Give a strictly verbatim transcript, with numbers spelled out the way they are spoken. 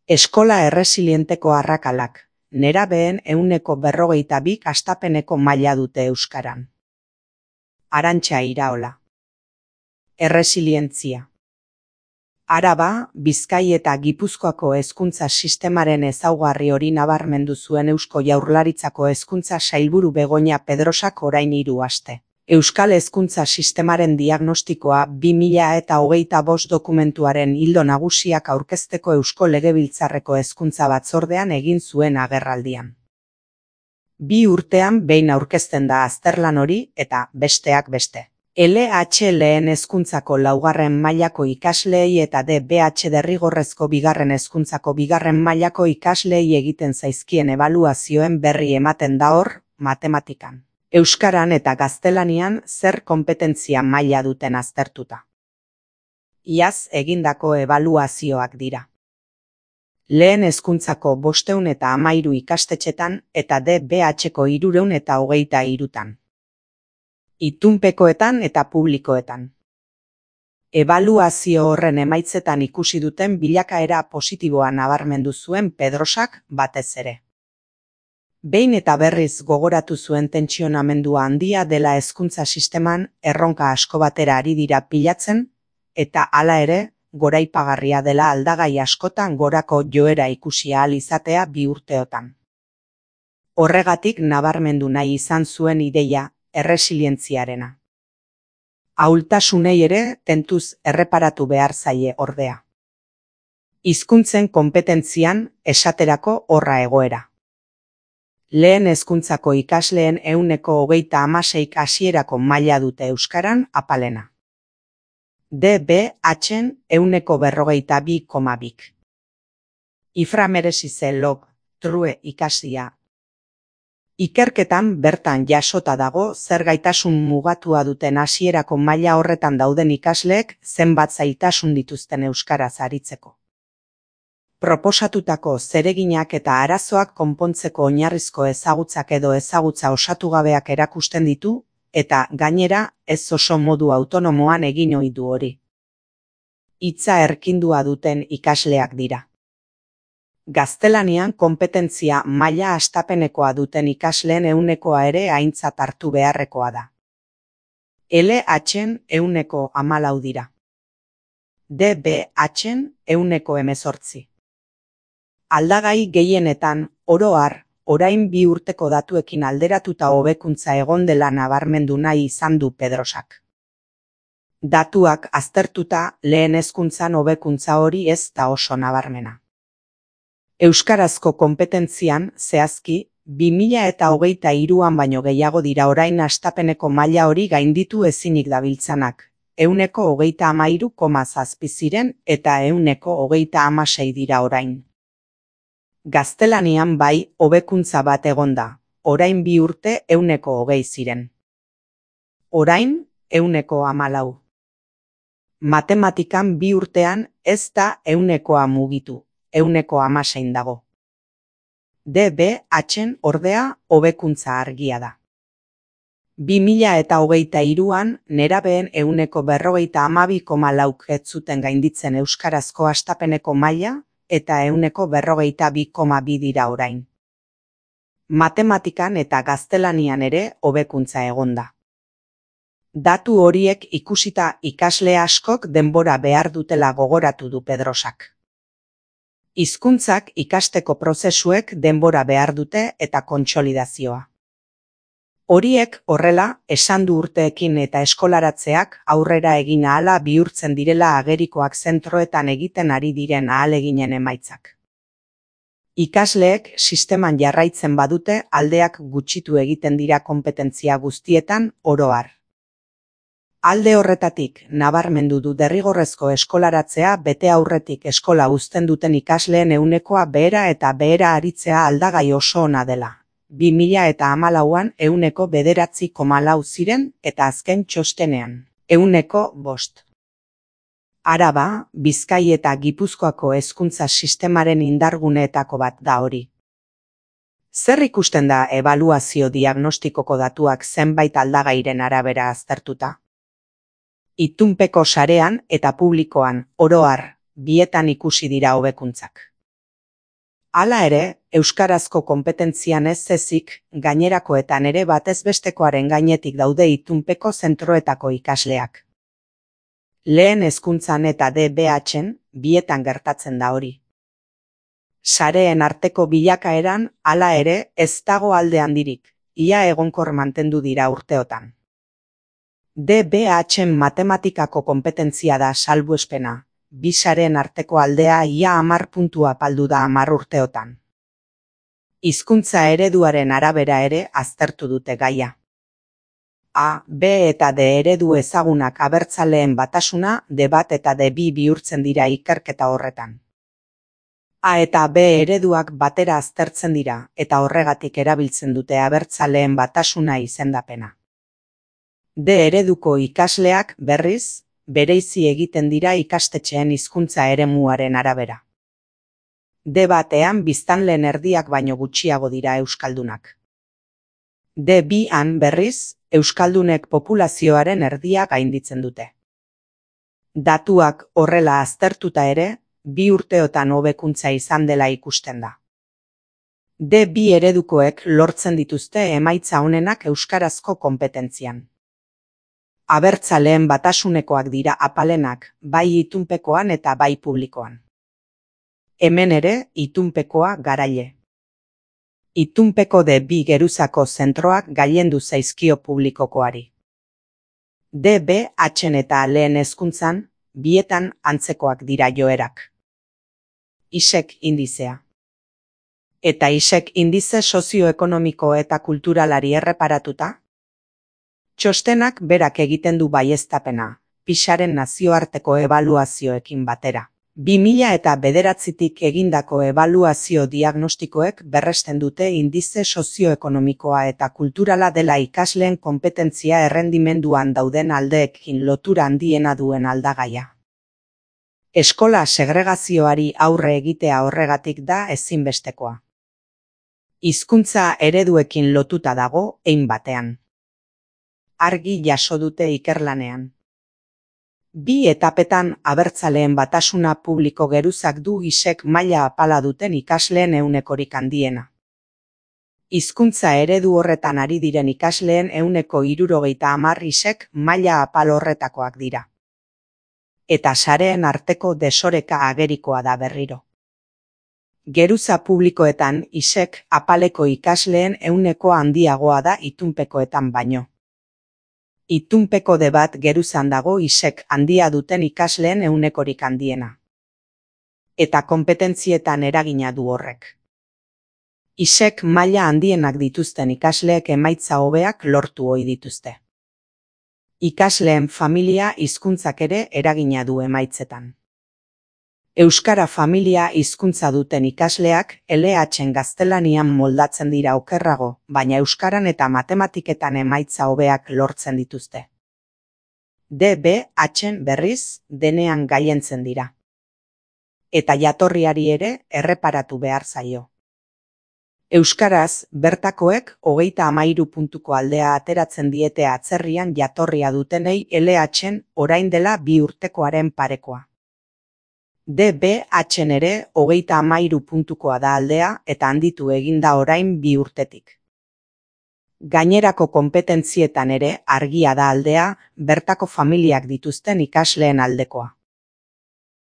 Eskola erresilienteko arrakalak, nerabeen ehuneko berrogeita bik hastapeneko maila dute euskaran. Arantxa Iraola. Erresilientzia. Araba, Bizkai eta Gipuzkoako hezkuntza sistemaren ezaugarri hori nabarmendu zuen Eusko Jaurlaritzako hezkuntza sailburu Begoña Pedrosak orain hiru aste. Euskal hezkuntza sistemaren diagnostikoa bi mila eta hogeita bost dokumentuaren ildo nagusiak aurkezteko Eusko Legebiltzarreko hezkuntza batzordean egin zuen agerraldian. Bi urtean behin aurkezten da azterlan hori eta besteak beste. L H lehen hezkuntzako laugarren mailako ikasleei eta D B H derrigorrezko bigarren hezkuntzako bigarren mailako ikasleei egiten zaizkien ebaluazioen berri ematen da hor, matematikan, euskaran eta gaztelanian zer konpetentzia maila duten aztertuta. Iaz egindako ebaluazioak dira. Lehen hezkuntzako bostehun eta hamairu ikastetxetan eta D B Hko hirurehun eta hogeita hirutan. Itunpekoetan eta publikoetan. Ebaluazio horren emaitzetan ikusi duten bilakaera positiboa nabarmendu zuen Pedrosak batez ere. Behin eta berriz gogoratu zuen tentsionamendua handia dela hezkuntza sisteman erronka asko batera ari dira pilatzen, eta hala ere, goraipagarria dela aldagai askotan gorako joera ikusi ahal izatea bi urteotan. Horregatik nabarmendu nahi izan zuen ideia, erresilientziarena. Ahultasunei ere tentuz erreparatu behar zaie ordea. Hizkuntzen konpetentzian esaterako horra egoera. Lehen hezkuntzako ikasleen ehuneko hogeita hamaseik hasierako maila dute euskaran apalena. D B Hn ehuneko berrogeita bi koma bik. Ifra meresize log, true ikasia. Ikerketan bertan jasota dago zer gaitasun mugatua duten hasierako maila horretan dauden ikasleek zenbat zailtasun dituzten euskaraz aritzeko. Proposatutako zereginak eta arazoak konpontzeko oinarrizko ezagutzak edo ezagutza osatu gabeak erakusten ditu, eta gainera ez oso modu autonomoan egin ohi du hori. Hitza erkindua duten ikasleak dira. Gaztelanian konpetentzia maila hastapenekoa duten ikasleen ehunekoa ere aintzat hartu beharrekoa da. L Hn ehuneko hamalau dira. D B Hn ehuneko hemezortzi. Aldagai gehienetan, oro har, orain bi urteko datuekin alderatuta hobekuntza egon dela nabarmendu nahi izan du Pedrosak. Datuak aztertuta lehen hezkuntzan hobekuntza hori ez da oso nabarmena. Euskarazko konpetentzian, zehazki, bi mila eta hogeita hiruan baino gehiago dira orain hastapeneko maila hori gainditu ezinik dabiltzanak, ehuneko hogeita hamairu koma zazpi ziren eta ehuneko hogeita hamasei dira orain. Gaztelanian bai, hobekuntza bat egonda, orain bi urte ehuneko hogei ziren. Orain, ehuneko hamalau. Matematikan bi urtean ez da ehunekoa mugitu. Ehuneko hamasein dago. D B Hn ordea hobekuntza argia da. Bi mila eta hogeita hiruan nerabeen ehuneko berrogeita hamabi koma lauk ez zuten gainditzen euskarazko hastapeneko maila eta ehuneko berrogeita bi koma bi dira orain. Matematikan eta gaztelanian ere hobekuntza egonda. Datu horiek ikusita ikasle askok denbora behar dutela gogoratu du Pedrosak. Hizkuntzak ikasteko prozesuek denbora behar dute eta kontsolidazioa. Horiek horrela, esan du urteekin eta eskolaratzeak aurrera egin ahala bihurtzen direla agerikoak zentroetan egiten ari diren ahaleginen emaitzak. Ikasleek sisteman jarraitzen badute aldeak gutxitu egiten dira konpetentzia guztietan oro har. Alde horretatik, nabarmendu du derrigorrezko eskolaratzea bete aurretik eskola uzten duten ikasleen ehunekoa behera eta behera aritzea aldagai oso ona dela. Bi mila eta hamalauan ehuneko bederatzi koma lau ziren eta azken txostenean, ehuneko bost. Araba, Bizkai eta Gipuzkoako hezkuntza sistemaren indarguneetako bat da hori. Zer ikusten da ebaluazio diagnostikoko datuak zenbait aldagairen arabera aztertuta? Itunpeko sarean eta publikoan, oro har, bietan ikusi dira hobekuntzak. Hala ere, euskarazko konpetentzian ez ezik, gainerakoetan ere batez bestekoaren gainetik daude itunpeko zentroetako ikasleak. Lehen hezkuntzan eta D B H-en, bietan gertatzen da hori. Sareen arteko bilakaeran, hala ere, ez dago alde handirik, ia egonkor mantendu dira urteotan. D B H-en matematikako konpetentzia da salbuespena, bi sareen arteko aldea ia hamar puntua apaldu da hamar urteotan. Hizkuntza ereduaren arabera ere aztertu dute gaia. A, B eta D eredu ezagunak abertzaleen batasuna D bat eta D bi bihurtzen dira ikerketa horretan. A eta B ereduak batera aztertzen dira eta horregatik erabiltzen dute abertzaleen batasuna izendapena. D ereduko ikasleak, berriz, bereizi egiten dira ikastetxeen hizkuntza eremuaren arabera. D batean biztanleen erdiak baino gutxiago dira euskaldunak. D bian, berriz, euskaldunek populazioaren erdia gainditzen dute. Datuak horrela aztertuta ere, bi urteotan hobekuntza izan dela ikusten da. D bi eredukoek lortzen dituzte emaitza onenak euskarazko konpetentzian. Abertzaleen batasunekoak dira apalenak, bai itunpekoan eta bai publikoan. Hemen ere, itunpekoa garaile. Itunpeko D bi geruzako zentroak gailendu zaizkio publikokoari. D B H-en eta lehen hezkuntzan, bietan antzekoak dira joerak. ISEK indizea. Eta ISEK indize sozioekonomiko eta kulturalari erreparatuta? Txostenak berak egiten du baieztapena, PISAren nazioarteko ebaluazioekin batera. bi mila eta bederatzitik egindako ebaluazio diagnostikoek berresten dute indize sozioekonomikoa eta kulturala dela ikasleen konpetentzia errendimenduan dauden aldeekin lotura handiena duen aldagaia. Eskola segregazioari aurre egitea horregatik da ezinbestekoa. Hizkuntza ereduekin lotuta dago hein batean. Argi jaso dute ikerlanean. Bi etapetan abertzaleen batasuna publiko geruzak du ISEK maila apala duten ikasleen ehunekorik handiena. Hizkuntza eredu horretan ari diren ikasleen ehuneko hirurogeita hamar ISEK maila apal horretakoak dira. Eta sareen arteko desoreka agerikoa da berriro. Geruza publikoetan ISEK apaleko ikasleen ehuneko handiagoa da itunpekoetan baino. Itunpeko D bat geruzan dago ISEK handia duten ikasleen ehunekorik handiena. Eta konpetentzietan eragina du horrek. ISEK maila handienak dituzten ikasleek emaitza hobeak lortu ohi dituzte. Ikasleen familia hizkuntzak ere eragina du emaitzetan. Euskara familia hizkuntza duten ikasleak L H-en gaztelanian moldatzen dira okerrago, baina euskaran eta matematiketan emaitza hobeak lortzen dituzte. D B H-en berriz denean gailentzen dira. Eta jatorriari ere erreparatu behar zaio. Euskaraz, bertakoek hogeita hamairu puntuko aldea ateratzen diete atzerrian jatorria dutenei L H-en orain dela bi urtekoaren parekoa. D B H-en ere hogeita hamairu puntukoa da aldea eta handitu egin da orain bi urtetik. Gainerako konpetentzietan ere argia da aldea bertako familiak dituzten ikasleen aldekoa.